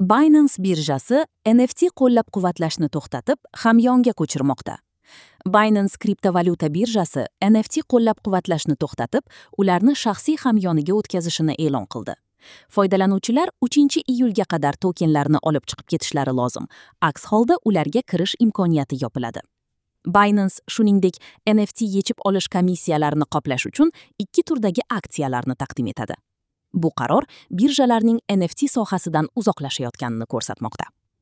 Binance birjasi NFT qo'llab-quvvatlashni to'xtatib, hamyonga ko'chirmoqda. Binance kriptovalyuta birjasi NFT qo'llab-quvvatlashni to'xtatib, ularni shaxsiy hamyoniga o'tkazishini e'lon qildi. Foydalanuvchilar 3-iyulga qadar tokenlarni olib chiqib ketishlari lozim. Aks holda ularga kirish imkoniyati yopiladi. Binance shuningdek NFT yechib olish komissiyalarini qoplash uchun ikki turdagi aksiyalarni taqdim etadi. Bu qaror birjalarning NFT sohasidan uzoqlashayotganini ko'rsatmoqda.